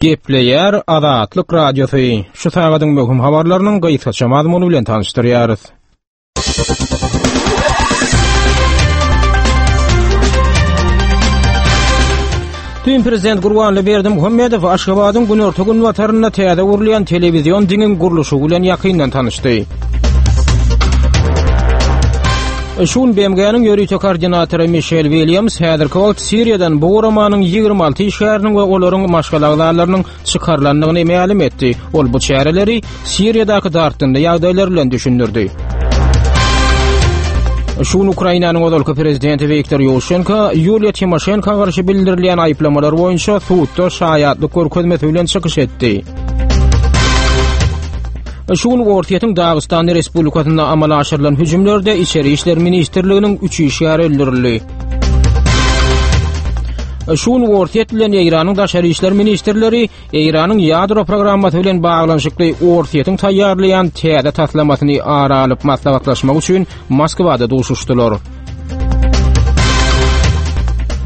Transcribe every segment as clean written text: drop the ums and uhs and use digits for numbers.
Gepleýär Azatlyk Radiosy. Şu sagadyň möhüm habarlarynyň gysgaça mazmuny bilen tanyşdyrýarys. Düýn prezident Gurbanly Berdimuhamedow Aşgabadyň günorta-günbatarynda täze gurulýan telewizion diňiň gurluşygy bilen ýakyndan tanyşdy. Şu gün BMG-niň ýörite koordinatory Mişel Williams häzirki wagt Siriýadan bu guramanyň 26 işgäriniň we olaryň maşgala agzalarynyň çykarylandygyny mälim etdi. Ol bu çäreleri Siriýadaky dartgynly ýagdaýlar bilen düşündirdi. Şu gün Ukrainanyň ozalky prezidenti Wiktor Ýuşenko Ýuliýa Timoşenko garşy bildirilýän aýyplamalar boýunça sudda şaýatlyk görkezmesi bilen çykyş etdi. Şu gün Orsýetiň Dagystan Respublikasynda amala aşyrylan hüjümlerde Içeri işler ministrliginiň üç işgäri öldürildi. Şu gün Orsýet bilen Eýranyň daşary işler ministrleri Eýranyň ýadro programmasy bilen baglanyşykly Orsýetiň taýýarlaýan täze taslamasyny ara alyp maslahatlaşmak üçin Moskwada duşuşdylar.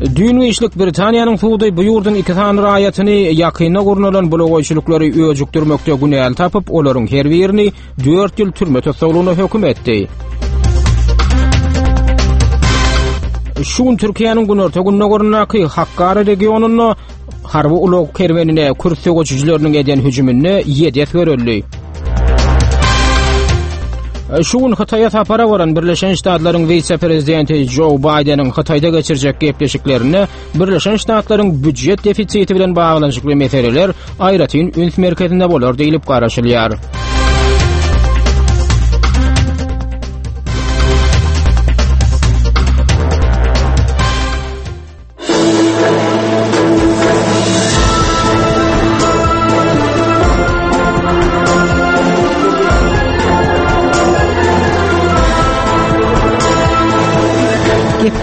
Düýn giçlik Britaniýanyň sudy bu ýurduň iki sany raýatyny ýakynda gurnalan bulagaýçylyklary öjükdirmekde günäli tapyp, olaryň her birini 4 ýyl türme tussaglygyna höküm etdi. Şu gün Türkiýäniň günorta-gündogaryndaky Hakkari regionynda harby ulag kerwenine kürt söweşijileriniň eden hüjüminde ýedi esger öldi. Şu gün Hytaýa sapara baran Birleşen Ştatlaryň wise-prezidenti Jo Baýdeniň Hytaýda geçirjek gepleşiklerinde Birleşen Ştatlaryň býujet defisiti bilen baglanyşykly meseleler aýratyn üns merkezinde bolar diýlip garaşylýar.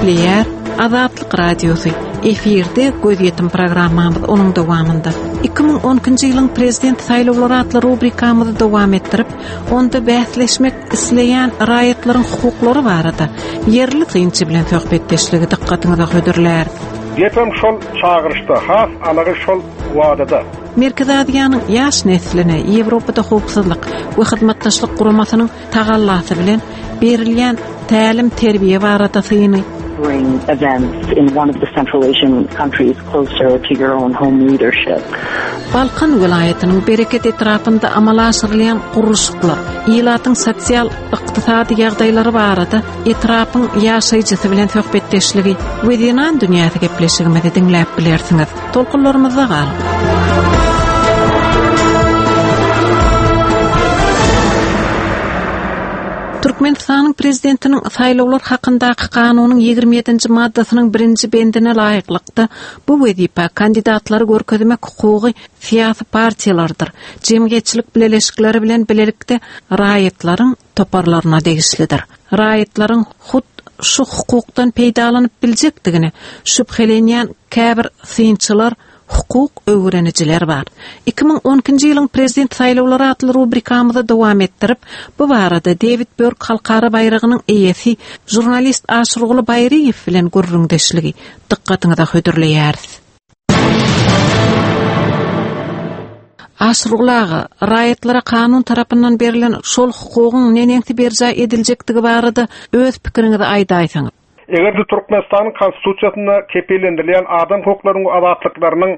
Gepleýär Azatlyk Radiosy. Efirde gözýetim programmamyz onuň dowamynda. 2012-nji ýylyň prezident saýlawlary atly rubrikamyzy dowam etdirip, onda bäsleşmek isleýän raýatlaryň hukuklary barada ýerli synçy bilen söhbetdeşligi dykgatyňyza hödürläris. Gepem şol çagyryşda, has anygy şol wadada. Merkezi Aziýanyň ýaş nesline Ýewropada Howpsuzlyk we Hyzmatdaşlyk Guramasynyň tagallasy bilen berilýän tälim-terbiýe barada syny. bring events in one of the Central Asian countries closer to your own home leadership. Balkan welaýatynyň Bereket etrapynda amala aşyrylýan gurluşyklar, ilatyň sosial, ykdysady ýagdaýlary barada etrapyň ýaşaýjysy bilen söhbetdeşligi we Zenan dünýäsi gepleşigimizi diňläp bilersiňiz. Tolkunlarymyzda galyň! Türkmenistanyň Prezidentiniň Saýlawlar hakyndaky kanunyň 27-nji maddasynyň birinji bendine laýyklykda, bu wezipä kandidatlary görkezmek hukugy syýasy partiýalardyr jemgyýetçilik bileleşikleri bilen bilelikde raýatlaryň toparlaryna degişlidir. Raýatlaryň hut şu hukukdan peýdalanyp biljekdigine şübhelenýän käbir synçylar hukuk öwrenijiler bar. 2012-nji ýylyň Prezident saýlawlary atly rubrikamyzy dowam etdirip, bu barada Dewid Börk halkara baýragynyň eýesi, žurnalist Aşyrguly Baýryýew bilen gürrüňdeşligi dykgatyňyza hödürleýäris. Aşyrguly aga, raýatlara kanun tarapyndan berlen şol hukugyň neneňsi berjaý ediljekdigi barada öz pikiriňizi aýdaýsaňyz. Eger-de Türkmenistanyň Konstitusiýasynda kepillendirilýän adam hukuklarynyň we azatlyklarynyň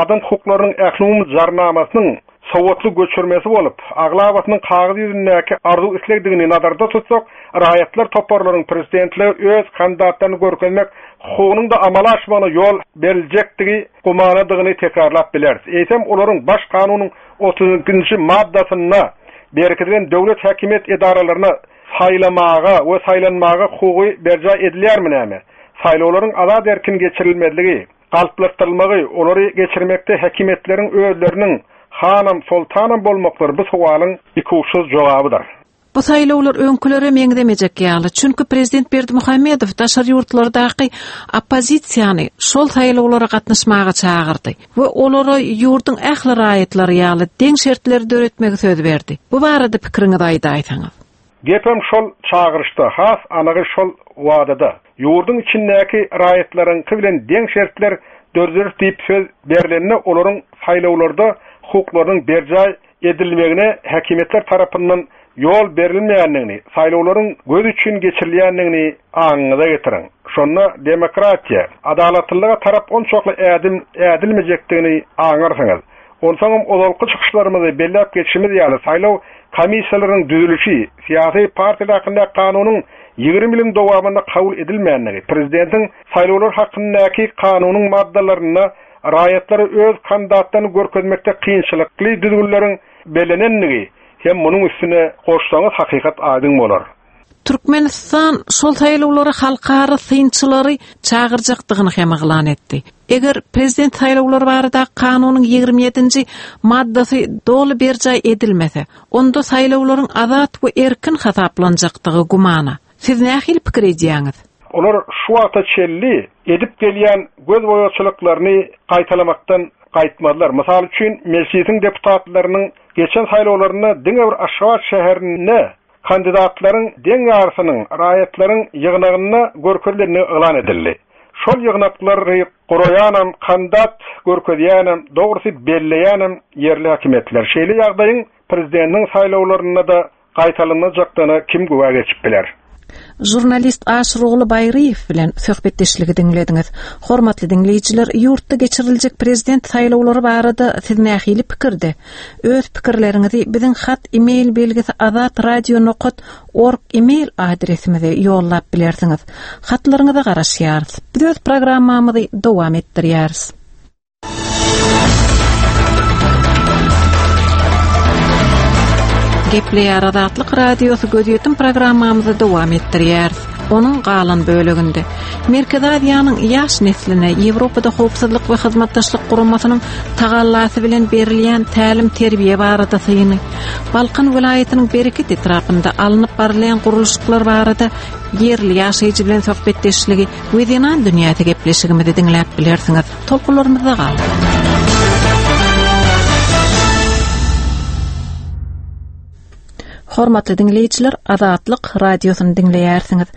Adam hukuklarynyň ählumumy jarnamasynyň sowatly göçürmesi bolup, aglabasynyň kagyz ýüzündäki arzuw-islegdigini nazarda tutsak, raýatlar toparlaryň prezidentlige öz kandidatlaryny görkezmek hukugynyň-da amala aşmagyna ýol beriljekdigi gumanadygyny tekrarlap bileris. Eýsem, olaryň Baş kanunyň otuz ikinji maddasynda berkidilen döwlet häkimiýet edaralaryna Saýlamaga we saýlanmaga hukugy berjaý edilýärmi näme? Saýlawlaryň azat-erkin geçirilmezligi, galplaşdyrylmagy, olary geçirmekde häkimiýetleriň özleriniň hanam, soltanam bolmaklary bu sowalyň ikuçsuz jogabydyr. Bu saýlawlar öňkülere meňzemejek ýaly, çünki prezident Berdimuhamedow daşary ýurtlardaky oppozisiýany şol saýlawlara gatnaşmaga çagyrdy we olara ýurduň ähli raýatlary ýaly deň şertleri döretmegi söz berdi. Bu barada pikiriňizi aýdaýsaňyz. Gepem şol çagyryşda, has anygy şol wadada. Ýurduň içindäki raýatlaryňky bilen deň şertler dörederis diýip söz berlende olaryň saýlawlarda hukuklarynyň berjaý edilmegine häkimiýetler tarapyndan ýol berilmeýändigini, saýlawlaryň göz üçin geçirilýändigini aňyňyza getiriň. Şonda demokratiýa, adalatlylyga tarap onçakly ädim ädilmejekdigini aňarsyňyz. Onsoňam ozalky çykyşlarymyzda belläp geçişimiz ýaly saýlaw komissiýalarynyň düzülişi, syýasy partiýalar hakyndaky kanunyň 20 ýylyň dowamynda kabul edilmändigi, prezidentiň saýlawlar hakyndaky kanunyň maddalarynda raýatlara öz kandidatlaryny görkezmekde kynçylykly düzgünleriň bellenendigi hem munuň üstüne goşsaňyz hakykat aýdyň bolar. Türkmenistan şol saýlawlara halkara synçylary çagyrjakdygyny hem yglan etdi. Eger prezident saýlawlary baradaky kanunyň 27-nji maddasy doly berjaý edilmese, onda saýlawlaryň azat we erkin hasaplanjakdygy gümana. Siz nähili pikir edýäňiz? Olar şu wagta çenli edip gelýän gözboýagçylyklaryny gaýtalamakdan gaýtmazlar. Mysal üçin, Mejlisiň deputatlarynyň geçen saýlawlarynda diňe bir Aşgabat şäherinde Kandidatlaryň deň ýarysynyň raýatlaryň ýygnagynda görkezilendigi yglan edildi. Şol ýygnaklary guraýanam, kandidat görkezýänem, dogrusy belleýänem ýerli häkimiýetler. Şeýle ýagdaýyň prezidentiň saýlawlarynda-da gaýtalanmajakdygyna kim güwä geçip biler? Žurnalist Aşyrguly Baýryýew bilen söhbetdeşligi diňlediňiz. Hormatly diňleýjiler, ýurtda geçiriljek prezident saýlawlary barada siz nähili pikirde? Öz pikirleriňizi biziň hat e-mail belgisi azatradio nokat org e-mail adresimize ýollap bilersiňiz. Hatlaryňyza garaşýarys. Biz öz programmamyzy dowam etdirýäris. Gepleýär Azatlyk Radiosy gözýetim programmamyzy dowam etdirýäris. Onuň galan böleginde Merkezi Aziýanyň ýaş nesline Ýewropada Howpsuzlyk we Hyzmatdaşlyk Guramasynyň tagallasy bilen berilýän tälim-terbiýe barada syny, Balkan welaýatynyň Bereket etrapynda alnyp barylýan gurluşyklar barada ýerli ýaşaýjy bilen söhbetdeşligi we Zenan dünýäsi gepleşigimizi diňläp bilersiňiz. Tolkunlarymyzda galyň. Hormatly diňleýjiler, Azatlyk radiosyny diňleýärsiňiz.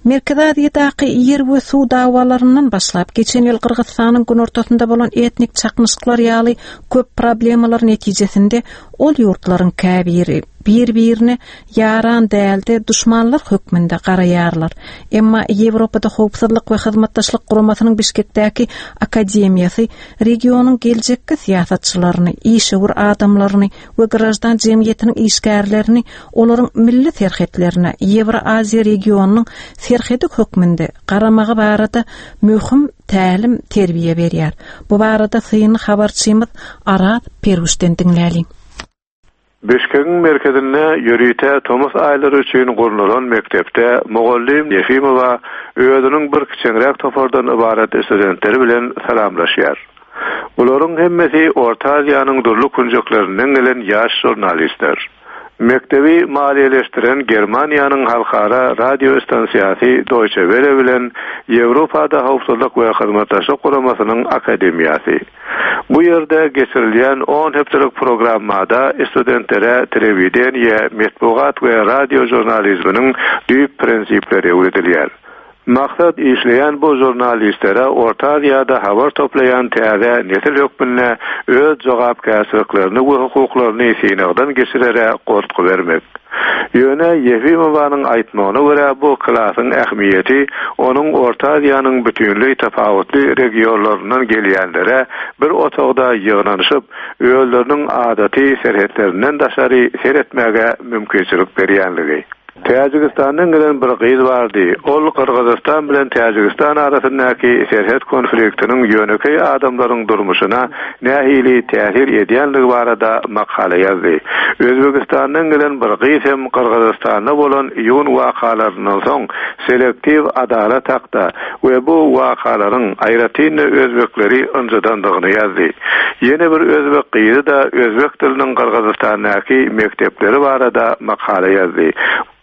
Merkezi Aziýadaky ýer we suw dawalaryndan başlap, geçen ýyl Gyrgyzystanyň günortasynda bolan etnik çaknyşyklar ýaly köp problemalar netijesinde ol ýurtlaryň käbiri bir-birine ýaran däl-de, duşmanlar hökmünde garaýarlar. Emma Ýewropada Howpsuzlyk we Hyzmatdaşlyk Guramasynyň Bişkekdäki akademiýasy regionyň geljekki syýasatçylaryny, işewür adamlaryny we graždan jemgyýetiniň işgärlerini olaryň milli serhetlerine Ýewroaziýa regionynyň serhedi hökmünde garamagy barada möhüm tälim-terbiýe berýär. Bu barada syny habarçymyz Araz Perwişden diňläliň. Bişkegiň merkezinde ýörite tomus aýlary üçin gurnalan mekdepde mugallym Ýefimowa özüniň bir kiçeňräk topardan ybarat studentleri bilen salamlaşýar. Bularyň hemmesi Orta Aziýanyň dürli künjeklerinden gelen ýaş žurnalistler. Mekdebi maliýeleşdiren Germaniýanyň halkara radio stansiýasy Deutsche Welle bilen Ýewropada Howpsuzlyk we Hyzmatdaşlyk Guramasynyň akademiýasy. Bu ýerde geçirilýän on hepdelik programmada studentlere telewideniýe, metbugat we radio žurnalizminiň düýp prinsipleri öwredilýär. Maksat işleýän bu žurnalistlere Orta Aziýada habar toplaýan täze nesil hökmünde öz jogapkärçiliklerini we hukuklaryny synagdan geçirere goltgy bermek. Ýöne Ýefimowanyň aýtmagyna görä bu klasyň ähmiýeti onuň Orta Aziýanyň bütinleý tapawutly regionlaryndan gelýänlere bir otagda ýygnanyşyp, özleriniň adaty serhetlerinden daşary seretmäge mümkinçilik berýänligi. Täjigistandan gelen bir gyz bardy. Ol Gyrgyzystan bilen Täjigistan arasyndaky serhet konfliktiniň ýönekeý adamlaryň durmuşyna nähili täsir edýänligi barada makala ýazdy. Özbegistandan gelen bir gyz hem Gyrgyzystanda bolan iýun wakalaryndan soň selektiw adalat hakda we bu wakalaryň aýratyn-da özbekleri ynjydandygyny ýazdy. Ýene bir özbek gyzy-da özbek diliniň Gyrgyzystandaky mekdepleri barada makala ýazdy.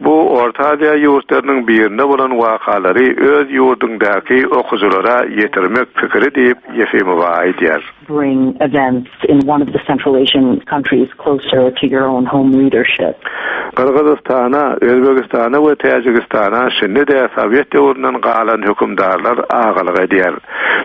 Bu Orta Aziýa ýurtlarynyň birinde bolan wakalary öz ýurduňdaky okyjylara ýetirmek pikiri diýip, Ýefimowa aýdýar. bring events in one of the Central Asian countries closer to your own home readership. Gyrgyzystana, Özbegistana we Täjigistana şindi-de sowet döwründen galan hökümdarlar agalyk edýär.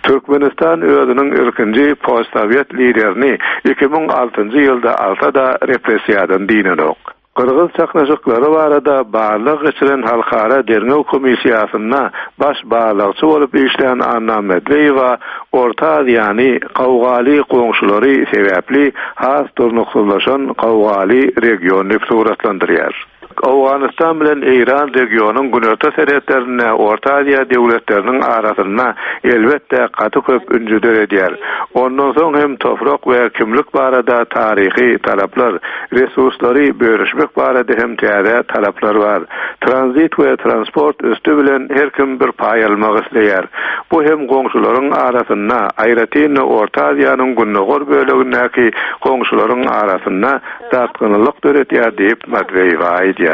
Türkmenistan özüniň ilkinji postsowet liderini 2006-njy ýylda alsa-da repressiýadan dynanok. Gyrgyz çaknyşyklary barada barlag geçiren Halkara derňew komissiýasynda baş barlagçy bolup işlän Anna Medweýewa Orta Aziýany gowgaly goňşulary sebäpli has durnuksyzlaşan gowgaly region diýip suratlandyrýar. Owganystan bilen Eýran regionyň günorta serhetlerinde Orta Aziýa döwletleriniň arasynda elbetde gaty köp ünji döredýär. Ondan soň hem toprak we kimlik barada taryhy talaplar, Resurslary bölüşmek barada hem täze talaplar bar. Tranzit we transport üsti bilen her kim bir paý almak isleýär. Bu hem goňşularyň arasynda, aýratyn-da Orta Aziýanyň gündogar bölegindäki goňşularyň arasynda dartgynlylyk döredýär diýip, Matweýewa aýdýar.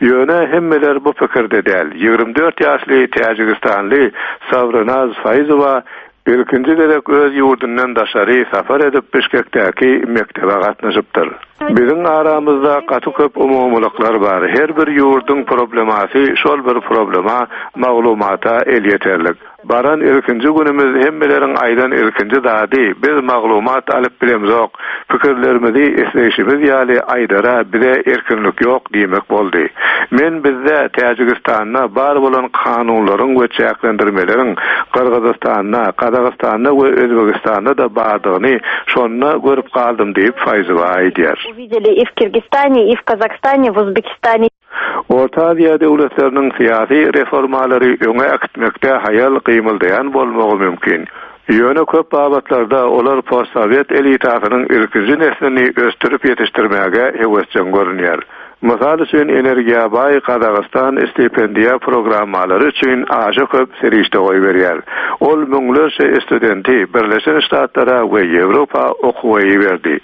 Ýöne hemmeler bu pikirde däl. 24 ýaşly täjigistanly Sawrinaz Faýzowa Ilkinji gezek öz ýurdundan daşary sapar edip Bişkekdäki mekdebe gatnaşypdyr. Biziň aramyzda gaty köp umumylyklar bar. Her bir ýurduň problemasy şol bir problema, maglumata elýeterlik. Baran ilkinji günümiz hemmeleriň aýdan ilkinji zady biz maglumat alyp bilemzok, pikirlerimizi isleýşimiz ýaly aýdara bize erkinlik ýok diýmek boldy. Men bizde, Täjigistanda bar bolan kanunlaryň we çäklendirmeleriň Gyrgyzystanda, Gazagystanda we Özbegistanda-da bardygyny şonda görüp galdym diýip, Faýzowa aýdýar. Uvideli i w Kirgistane, i w Kazahstane, w Uzbekistane. Orta Aziýa döwletleriniň syýasy reformalary öňe äkitmekde haýal gymyldaýan bolmagy mümkin. Ýöne köp babatlarda olar postsowet elitasynyň ilkinji neslini ösdürip ýetişdirmäge höwesjeň görünýär. Mysal üçin, energiýa baý Gazagystan stipendiýa programmalary üçin aşa köp serişde goýberýär. Ol müňlerçe studenti Birleşen Ştatlara we Ýewropa okuwa iberdi.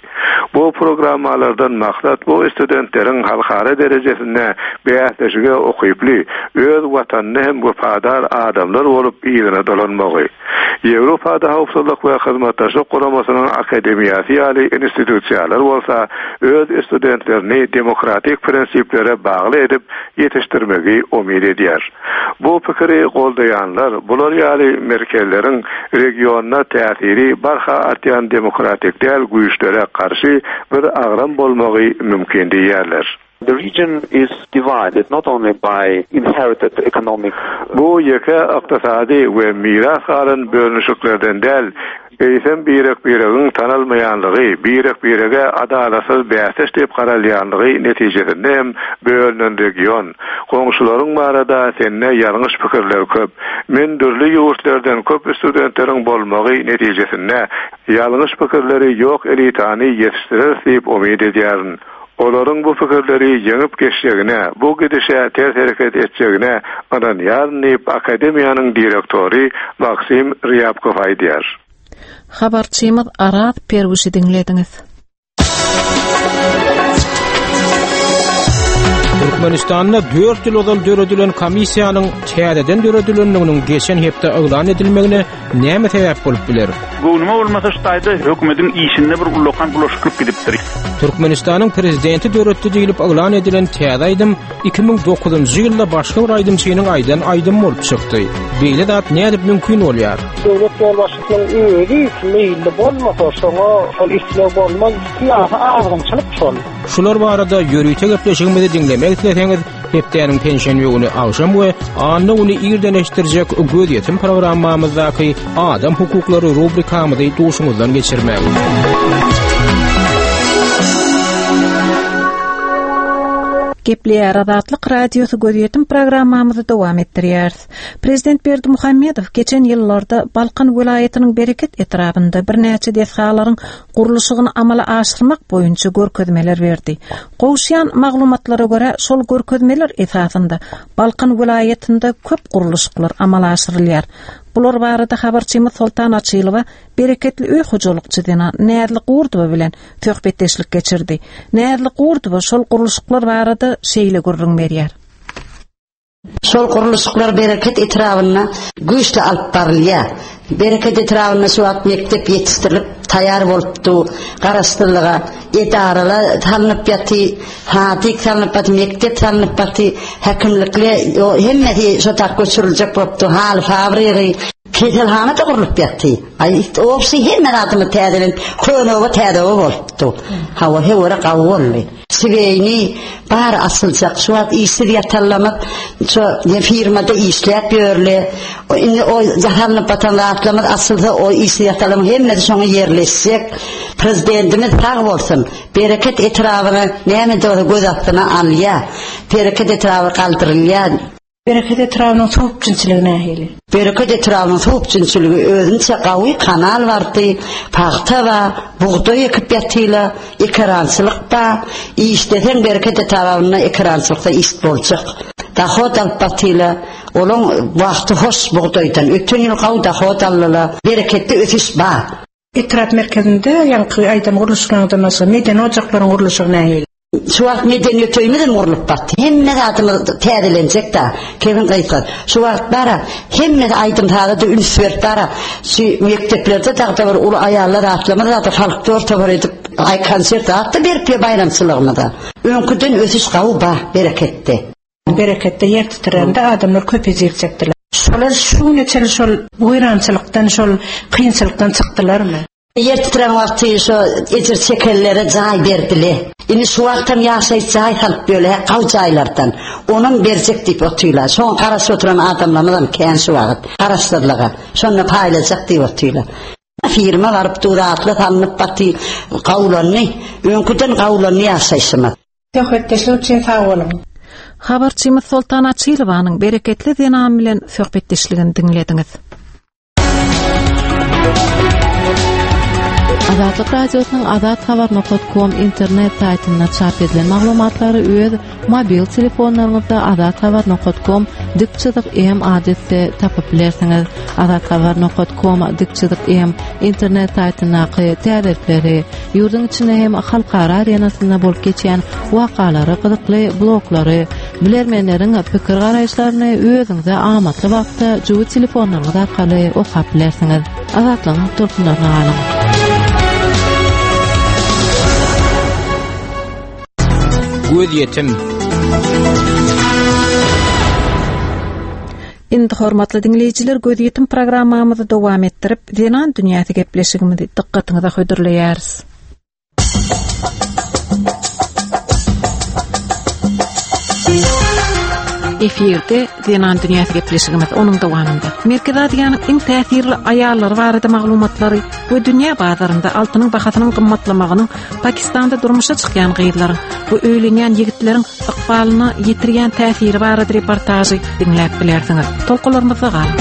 Bu programmalardan maksat bu studentleriň halkara derejesinde bäsleşige ukyply, öz watanyna hem wepadar adamlar bolup yzyna dolanmagy. Ýewropada Howpsuzlyk we Hyzmatdaşlyk Guramasynyň Akademiýasy ýaly institusiýalar bolsa öz studentlerini demokratik prinsiplere bagly edip ýetişdirmegi umyt edýär. Bu pikiri goldaýanlar bular ýaly merkezleriň regionda täsiri barha artýan demokratik däl güýçlere garşy bir agram bolmagy mümkin diýýärler. The region is divided not only by inherited economic. Bu ýeke ykdysady we miras galan bölünişiklerden däl, eýsem birek-biregiň tanalmaýanlygy, birek-birege adalatsyz bäsdeş diýip garalýanlygy netijesinde hem bölünen region. Goňşularyň barada sende ýalňyş pikirler köp. Men dürli ýurtlerden köp studentleriň bolmagy netijesinde ýalňyş pikirleri ýok elitany ýetişdireris diýip umyt edýärin. Olaryň bu pikirleri ýeňip geçjegine, bu gidişe ters hereket etjegine ynanýaryn diýip, akademiýanyň direktory Maksim Rýabkow aýdýar. Habarçymyz Araz Perwişi diňlediňiz. Türkmenistanda 4 ýyl ozal döredilen komissiýanyň täzeden döredilendiginiň geçen hepde yglan edilmegine Näme sebäp bolup biler? Göwnüme bolmasa şu taýda hökümediň işinde bir ullakan bulaşyklyk gidipdir. Türkmenistanyň prezidenti döretdi diýlip yglan edilen täze aýdym 2009-njy ýylda başga bir aýdymçynyň aýdan aýdymy bolup çykdy. Beýle zat nädip mümkin bolýar? Döwlet ýolbaşçysynyň özi meýilli bolmasa, şoňa şol isleg bolmaz. Syýasy azgynçylyk şol. Şular barada ýörite gepleşigimizi diňlemek isleseňiz, Hepdäniň penşenbe güni agşam we anna güni irden eşitdirjek Gözýetim programmamyzdaky Adam hukuklary rubrikamyzy duşuňyzdan geçirmäň. Gepleýär Azatlyk Radiosy Gözýetim programmamyzy dowam etdirýäris. Prezident Berdimuhamedow geçen ýyllarda Balkan welaýatynyň Bereket etrabynda birnäçe desgalaryň gurluşygyny amala aşyrmak boýunça görkezmeler berdi. Gowuşýan maglumatlara görä, şol görkezmeler esasynda Balkan welaýatynda köp gurluşyklar amala aşyrylýar. Bular barada habarçymyz Soltan Açylowa bereketli öý hojalykçy zenan Näzli Gurdowa bilen söhbetdeşlik geçirdi. Näzli Gurdowa şol gurluşyklar barada şeýle gürrüň berýär. Şol gurluşyklar Bereket etrabynda güýçli alyp barylýar. Bereket etrabynda şu wagt mekdep ýetişdirilip taýýar bolup dur. Garaşsyzlyga edaralar salnyp ýaty, sadik salnyp ýaty, mekdep salnyp ýaty, häkimlikle hemmesi şo tak göçüriljek bolup dur, haly fabrigi, keselhana-da gurlup ýaty. Aý, obşi hemme zadymyz täzelenip, köne oba täze oba bolup dur. Hawa, höwere gawy boldy. Şiweýni bar asyljak. Şu wagt işsiz ýatanlamyz şo firmada işläp ýörle. Indi o jahanlyp batan zatlarymyz asylsa o işsiz ýatanlaryň hemmesi şoňa ýerleşjek. Prezidentimiz sag bolsun. Bereket etrabyny näme-de bolsa göz astyna alýar. Bereket etraby galdyrylýar. Bereket etrabynyň suw üpjünçiligi nähili? Bereket etrabynyň suw üpjünçiligi özünçe gawy, kanal bardy, pagta bar, bugdaý ekip ýatyla, ekerançylyk bar. Işleseň Bereket etrabynda ekerançylykda iş boljak. Dahod alyp batyla, olaň wagty hoş bugdaýdan. Öten ýyl gawy dahod aldyla. Bereketde ösüş bar. Etrap merkezinde ýaňky aýdan gurluşyklaryňdan başga medeni ojaklaryň gurluşygy nähili? Şu wagt medeniýet öýümizem gurlup batdy. Hemme zadymyz täzelenjek-dä, kebin gysga. Şu wagt bar-a, hemmesi aýdym-saza-da üns berip bar-a, şu mekdeplerde dagda bir uly aýallar atlamaz zat-a folklor topar edip, aý konsert zat-da berip ýa baýramçylygymyza. Öňküden ösüş gawy ba, bereketde. Bereketde ýer titrände adamlar köp ejir çekdiler. Şolar şu güne çenli şol weýrançylykdan, şol kynçylykdan çykdylarmy? Ýer titrän wagty şo ejir çekenlere jaý berdile. Indi şu wagtam ýaşaýyş jaý salyp ýörler, hä gaw jaýlardan. Onam berjek diýip otyrlar. Şoňa garaşyp oturan adamlarymyzam kän şu wagt. Garaşsyzlyga. Şonda paýlajak diýip otyrlar. Firma baryp dur atly salnyp baty gawlandy. Öňküden gawlandy ýaşaýşymyz. Söhbetdeşlik üçin sag boluň. Habarçymyz Soltan Açylowanyň bereketli zenan bilen söhbetdeşligini diňlediňiz. Azatlyk Radiosynyň Azat Habar nokat kom internet saýtynda çap edilen maglumatlary öz mobil telefonlaryňyzda Azat Habar nokat kom dik çyzyk M adresde tapyp bilersiňiz. Azat Habar nokat kom dik çyzyk M internet saýtyndaky täzelikleri, ýurduň içinde hem halkara arenasynda bolup geçýän wakalary, gyzykly bloglary, Bilermenleriň pikir-garaýyşlaryny özüňize amatly wagtda jübi telefonlaryňyz arkaly okap bilersiňiz. Azatlygyň tolkunlaryna galyň. Gözýetim. Indi hormatly diňleýjiler gözýetim programmamyzy dowam etdirip, Zenan dünýäsi gepleşigimizi dykgatyňyza hödürleýäris. Efirde Zenan dünýäsi gepleşigimiz onuň dowamynda. Merkezi Aziýanyň iň täsirli aýallary barada maglumatlary we dünýä bazarynda altynyň bahasynyň gymmatlamagynyň Pakistanda durmuşa çykýan gyzlaryň we öýlenýän ýigitleriň ykbalyna ýetirýän täsiri barada reportažy diňläp bilersiňiz. Tolkunlarymyzda galyň.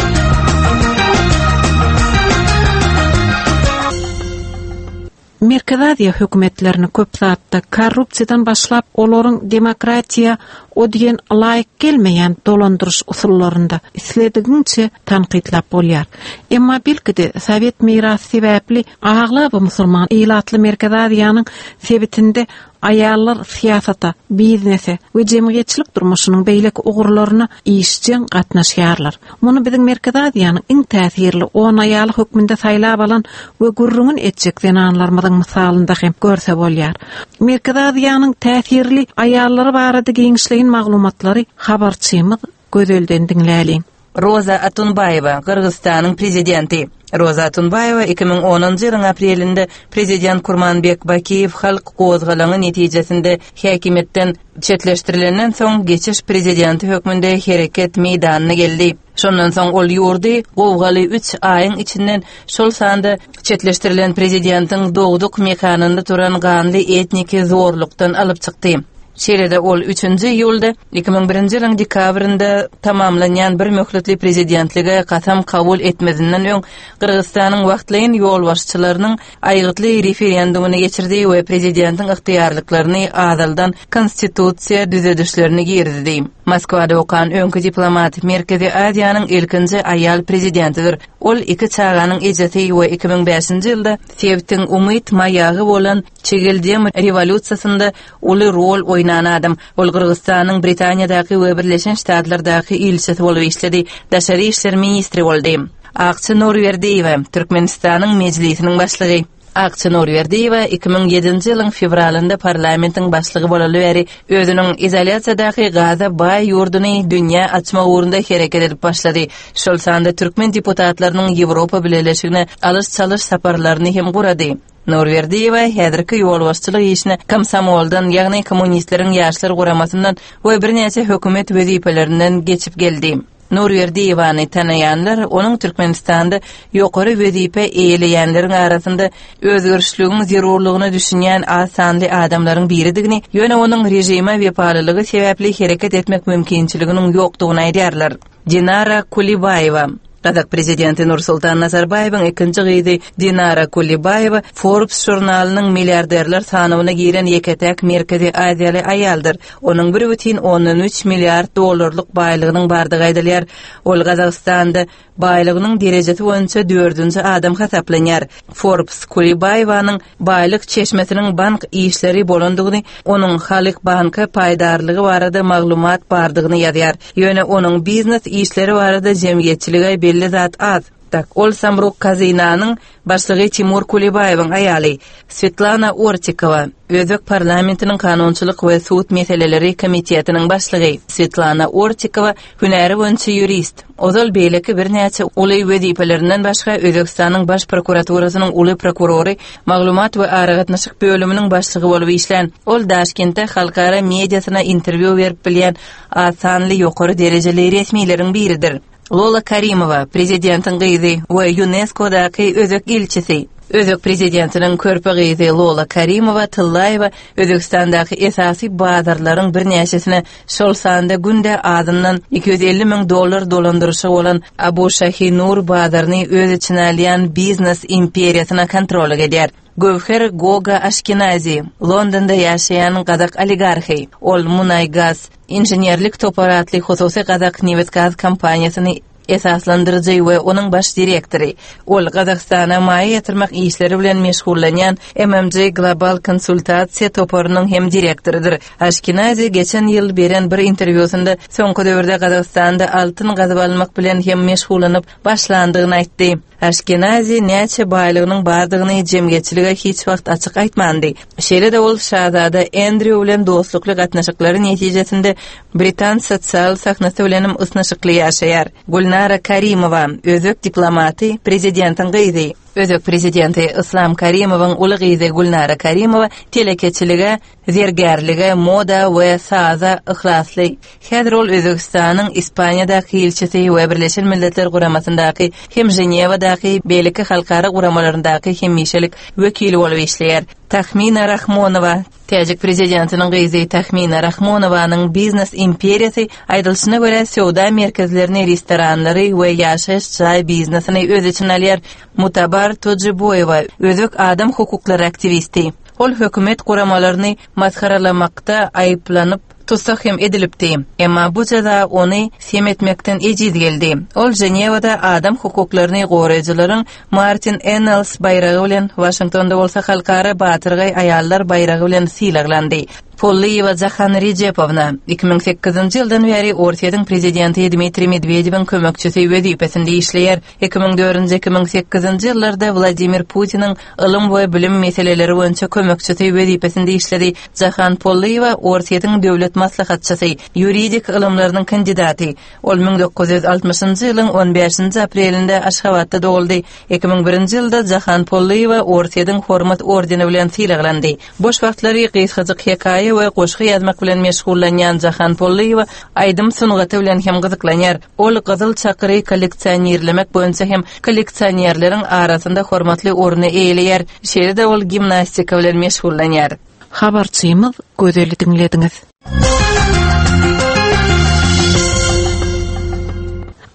Merkezi Aziýa hökümetlerini köp zatda korrupsiýadan başlap olaryň demokratiýa o diýen laýyk gelmeýän dolandyryş usullarynda isledigiňçe tankytlap bolýar. Emma belki-de sowet mirasy sebäpli aglaba musulman ilatly Merkezi Aziýanyň sebitinde Aýallar syýasata, biznese we jemgyýetçilik durmuşynyň beýleki ugurlaryna işjeň gatnaşýarlar. Muny biziň Merkezi Aziýanyň iň täsirli on aýaly hökmünde saýlap alan we gürrüňini etjek zenanlarymyzyň mysalynda hem görse bolýar. Merkezi Aziýanyň täsirli aýallary barada giňişleýin maglumatlary habarçymyz Gözelden diňläliň. Roza Otunbaýewa, Gyrgyzystanyň Prezidenti. Roza Otunbaýewa 2010-njy ýylyň aprelinde Prezident Kurmanbek Bakiýew halk gozgalaňy netijesinde häkimiýetden çetleşdirilenden soň geçiş prezidenti hökmünde hereket meýdanyna geldi. Şondan soň ol ýurdy gowgaly üç aýyň içinden, şol sanda çetleşdirilen prezidentiň dogduk mekanynda turan ganly etniki zorlukdan alyp çykdy. Şeýle-de ol üçünji iýulda, 2001-nji ýylyň dekabrynda tamamlanýan bir möhletli prezidentlige kasam kabul etmezinden öň Gyrgyzystanyň wagtlaýyn ýolbaşçylarynyň aýgytly referendumyny geçirdi we prezidentiň ygtyýarlyklaryny azaldan konstitusiýa düzedişlerini girizdi. Moskwada okan öňki diplomat Merkezi Aziýanyň ilkinji aýal prezidentidir. Ol iki çaganyň ejesi we 2005-nji ýylda sebitiň umyt maýagy bolan Çigildem rewolýusiýasynda uly rol oýnan adam. Ol Gyrgyzystanyň Britaniýadaky we Birleşen Ştatlardaky ilçisi bolup işledi, daşary işler ministri boldy. Akça Nurberdiýewa, Türkmenistanyň Mejlisiniň başlygy. Akça Nurberdiýewa 2007-nji ýylyň fewralynda parlamentiň başlygy bolaly bäri özüniň izolýasiýadaky gaza baý ýurduny dünýä açmak ugrunda hereket edip başlady. Şol sanda türkmen deputatlarynyň Ýewropa Bileleşigine alyş-çalyş saparlaryny hem gurady. Nurberdiýewa häzirki ýolbaşçylyk işine komsomoldan, ýagny kommunistleriň ýaşlar guramasyndan we birnäçe hökümet wezipelerinden geçip geldi. Nurberdiýewany tanaýanlar onuň Türkmenistanda ýokary wezipe eýeleýänleriň arasynda özgerişligiň zerurlygyna düşünýän az sanly adamlaryň biridigini, ýöne onuň režime wepalylygy sebäpli hereket etmek mümkinçiliginiň ýokdugyny aýdýarlar. Dinara Kulibaýewa. Gazak prezidenti Nursultan Nazarbaýewiň ikinji gyzy Dinara Kulibaýewa Forbes žurnalynyň milliarderler sanawyna giren ýeke-täk Merkezi Aziýaly aýaldyr. Onuň 1,3 milliard dollarlyk baýlygynyň bardygy aýdylýar. Ol Gazagystanda baýlygynyň derejesi boýunça dördünji adam hasaplanýar. Forbes Kulibaýewanyň baýlyk çeşmesiniň bank işleri bolandygyny, onuň Halyk Banka paýdarlygy barada maglumat bardygyny ýazýar. Ýöne onuň biznes işleri barada jemgyýetçilige belli zat az. Tak, ol Samruk Kazinanyň başlygy Timur Kulibaýewiň aýaly. Swetlana Ortikowa, özbek parlamentiniň kanunçylyk we sud meseleleri komitetiniň başlygy. Swetlana Ortikowa hünäri boýunça ýurist. Ozal beýleki birnäçe uly wezipelerinden başga Özbegistanyň Baş prokuraturasynyň uly prokurory, maglumat we aragatnaşyk bölüminiň başlygy bolup işlän. Ol Daşkentde halkara mediasyna interwýu berip bilýän az sanly ýokary derejeli resmileriň biridir. Lola Karimowa, prezidentiň gyzy we Ýunesko-daky özbek ilçisi. Özbek prezidentiniň körpe gyzy Lola Karimowa Tyllaýewa Özbegistandaky esasy bazarlaryň birnäçesine, şol sanda günde azyndan 250 müň dollar dolandyryşy bolan Abu Şahi Nur bazaryny öz içine alýan biznes imperiýasyna kontrollyk edýär. Göwher Goga Aşkenazi, Londonda ýaşaýan gazak oligarhy. Ol Munaýgaz inženerlik topary atly hususy gazak nebit-gaz kompaniýasyny esaslandyryjy we onuň baş direktory. Ol Gazagystana maýa ýatyrmak işleri bilen meşgullanýan MMG Global konsultasiýa toparynyň hem direktorydyr. Aşkenazi geçen ýyl beren bir interwýusynda soňky döwürde Gazagystanda altyn gazyp almak bilen hem meşgullanyp başlandygyny aýtdy. Aşkenazi näçe baýlygynyň bardygyny jemgyýetçilige hiç wagt açyk aýtmandy. Şeýle-de ol şazada Endrýu bilen dostlukly gatnaşyklary netijesinde britan sosial sahnasy bilenem ysnyşykly ýaşaýar. Gülnara Karimowa, özbek diplomaty, prezidentiň gyzy. Özbek prezidenti Yslam Karimowyň uly gyzy Gülnara Karimowa telekeçilige Zergärlige, moda we saza yhlasly. Häzir ol Özbegistanyň Ispaniýadaky ilçisi we Birleşen Milletler Guramasyndaky hem Ženewadaky beýleki halkara guramalaryndaky hemişelik wekili bolup işleýär. Tahmina Rahmonowa, täjik prezidentiniň gyzy Tahmina Rahmonowanyň biznes imperiýasy, aýdylyşyna görä, söwda merkezlerini, restoranlary we ýaşaýyş jaý biznesini öz içine alýar. Mutabar Tojiboýewa, özbek adam hukuklary aktiwisti. Ol hökümet guramalaryny masgaralamakda aýyplanyp, tussag hem edilipdi. Emma bu jeza ony sem etmekden ejiz geldi. Ol Ženewada adam hukuklaryny goraýjylaryň Martin Ennals baýragy bilen, Waşingtonda bolsa Halkara batyrgaý aýallar baýragy bilen sylaglandy. Pollyýewa Jahan Rejepowna, 2008-nji ýyldan bäri Orsýetiň prezidenti Dmitriý Medwedewiň kömekçisi wezipesinde işleýär. 2004-nji, 2008-nji ýyllarda Wladimir Putiniň ylym we bilim meseleleri boýunça kömekçisi wezipesinde işledi. Jahan Pollyýewa Orsýetiň döwlet maslahatçysy, ýuridik ylymlarynyň kandidaty. Ol 1960-njy ýylyň on bäşinji aprelinde Aşgabatda doguldy. 2001-nji ýylda Jahan Pollyýewa Orsýetiň Hormat ordeni bilen sylaglandy. Boş wagtlary gysgajyk hekaýa we goşgy ýazmak bilen meşgullanýan Jahan Pollyýewa aýdym sungaty bilen hem gyzyklanýar. Ol gyzyl çakyry kolleksionirlemek boýunça hem kolleksionerleriň arasynda hormatly orny eýeleýär. Şeýle-de ol gimnastika bilen meşgullanýar. Habarçymyz Gözeli diňlediňiz.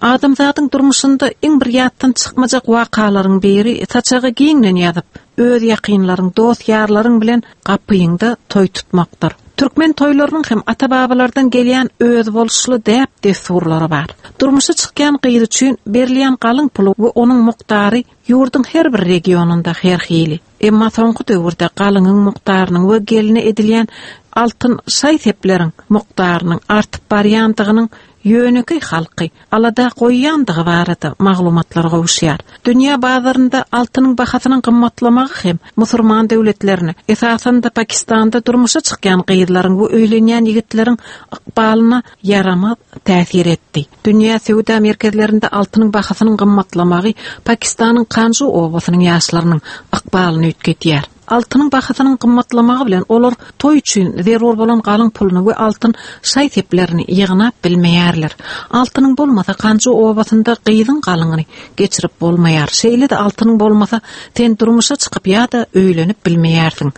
Adamzadyň durmuşynda iň bir ýatdan çykmajak wakalaryň biri saçagy giňden ýazyp, öz ýakynlaryň, dost-ýarlaryň bilen gapyňda toý tutmakdyr. Türkmen toýlarynyň hem ata-babalardan gelýän özboluşly däp-dessurlary bar. Durmuşa çykýan gyz üçin berilýän galyň puly we onuň mukdary ýurduň her bir regionynda her hili. Emma soňky döwürde galyňyň mukdarynyň we geline edilýän altyn şaý-sepleriň mukdarynyň artyp barýandygynyň ýönekeý halky alada goýýandygy barada maglumatlar gowuşýar. Dünýä bazarynda altynyň bahasynyň gymmatlamagy hem musurman döwletlerine, esasan-da Pakistanda durmuşa çykýan gyzlaryň we öýlenýän ýigitleriň ykbalyna ýaramaz täsir etdi. Dünýä söwda merkezlerinde altynyň bahasynyň gymmatlamagy Pakistanyň Kanju obasynyň ýaşlarynyň ykbalyny üýtgedýär. Altynyň bahasynyň gymmatlamagy bilen olar toý üçin zerur bolan galyň puluny we altyn şaý-seplerini ýygnap bilmeýärler. Altynyň bolmasa Kanju obasynda gyzyň galyňyny geçirip bolmaýar. Şeýle-de altynyň bolmasa sen durmuşa çykyp ýa-da öýlenip bilmeýärsiň.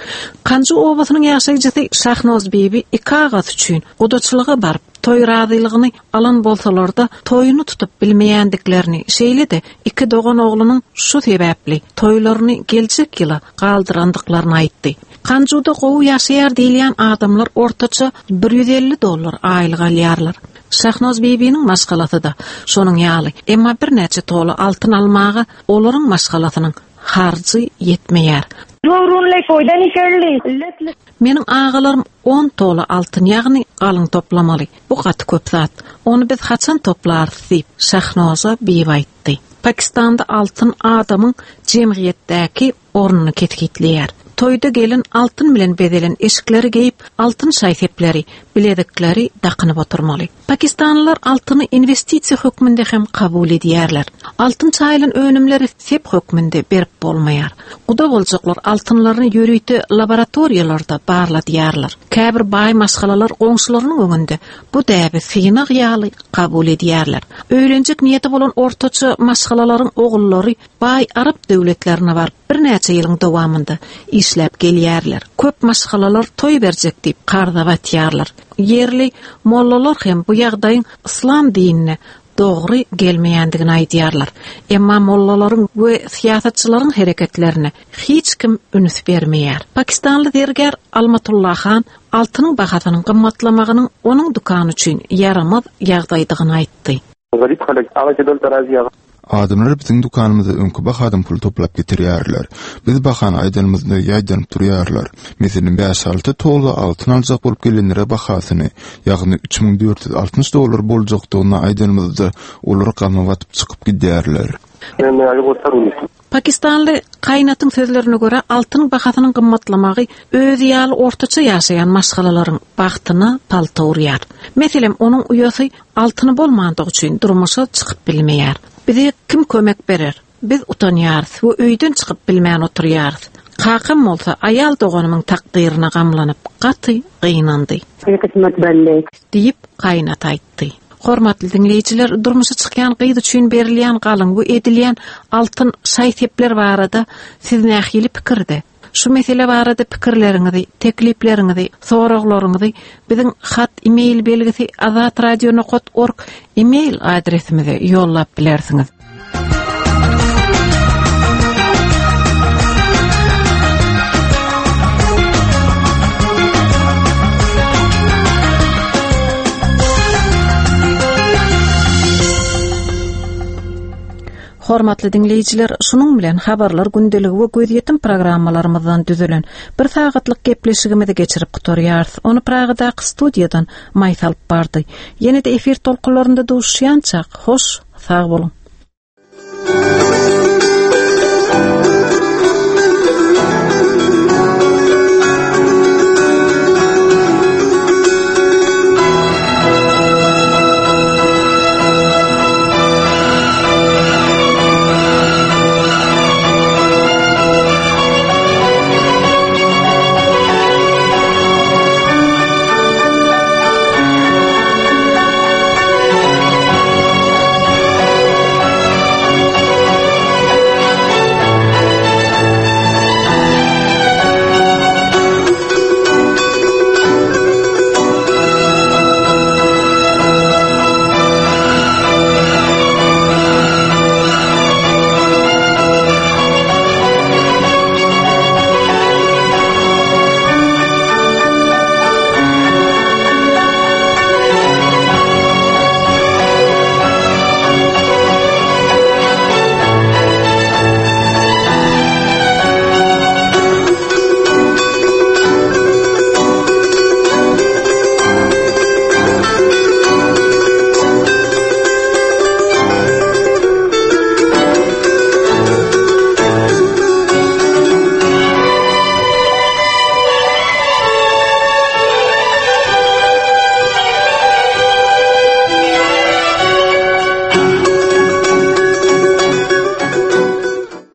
Kanju obasynyň ýaşaýjysy Şahnozbibi iki agasy üçin gudaçylyga baryp, toý razylygyny alan bolsalar-da, toýuny tutup bilmeýändiklerini, şeýle-de iki dogan oglunyň şu sebäpli toýlaryny geljek ýyla galdyrandyklaryny aýtdy. Kanjuda gowy ýaşaýar diýilýän adamlar ortaça 150 dollar aýlyk alýarlar. Şahnoz bibiniň maşgalasy-da şonuň ýaly, emma birnäçe tola altyn almaga olaryň maşgalasynyň harjy ýetmeýär. Meniň agalarym on tola altyn, ýagny galyň toplamaly. Bu gaty köp zat. Ony biz haçan toplarys diýip, Şahnoza bibi aýtdy. Pakistanda altyn adamyň jemgyýetdäki ornuny kesgitleýär. Toýda gelin altyn bilen bezelen eşikleri geýip, altyn şaý-sepleri, bilezikleri dakynyp oturmaly. Pakistanlylar altyny inwestisiýa hökmünde hem kabul edýärler. Altyn çaýylan önümleri sep hökmünde berip bolmaýar. Guda boljaklar altynlaryny ýörite laboratoriýalarda barladýarlar. Käbir baý maşgalalar goňşularynyň öňünde bu däbi synag ýaly kabul edýärler. Öýlenjek niýeti bolan ortaça maşgalalaryň ogullary baý arap döwletlerine baryp, birnäçe ýylyň dowamynda işläp gelýärler. Köp maşgalalar toý berjek diýip karza batýarlar. Ýerli mollalar hem bu ýagdaýyň yslam dinine dogry gelmeýändigini aýdýarlar. Emma mollalaryň we syýasatçylaryň hereketlerine hiç kim üns bermeýär. Pakistanly zergär Almatulla Han altynyň bahasynyň gymmatlamagynyň onuň dükany üçin ýaramaz ýagdaýdygyny aýtdy. Adamlar biziň dükanymyza öňki bahadan pul toplap getirýärler. Biz bahany aýdanymyzda ýaýdanyp durýarlar. Meselem, bäş-alty tola altyn aljak bolup gelenlere bahasyny, ýagny 3460 dollar boljakdygyny aýdanymyzda, olar gama batyp çykyp gidýärler. Pakistanly Kaýnatyň sözlerine görä, altynyň bahasynyň gymmatlamagy özi ýaly ortaça ýaşaýan maşgalalaryň bagtyna palta urýar. Meselem, onuň uýasy altyny bolmandygy üçin durmuşa çykyp bilmeýär. Bize kim kömek berer? Biz utanýarys we öýden çykyp bilmän oturýarys. Kakam bolsa aýal doganymyň takdyryna gamlanyp, gaty gynandy. Diýip, Kaýnat aýtdy. Hormatly diňleýjiler, durmuşa çykýan gyz üçin berilýän galyň we edilýän altyn şaý-sepler barada siz nähili pikirde? Şu mesele barada pikirleriňizi, teklipleriňizi, soraglaryňyzy biziň hat e-mail belgisi azatradio nokat org e-mail adresimize ýollap bilersiňiz. Hormatly diňleýjiler, şunuň bilen Habarlar gündeligi we Gözýetim programmalarymyzdan düzülen bir sagatlyk gepleşigimizi geçirip gutarýarys. Ony Pragadaky studiýadan Maýsa alyp bardy. Ýene-de efir tolkunlarynda duşuşýançak, hoş, sag boluň!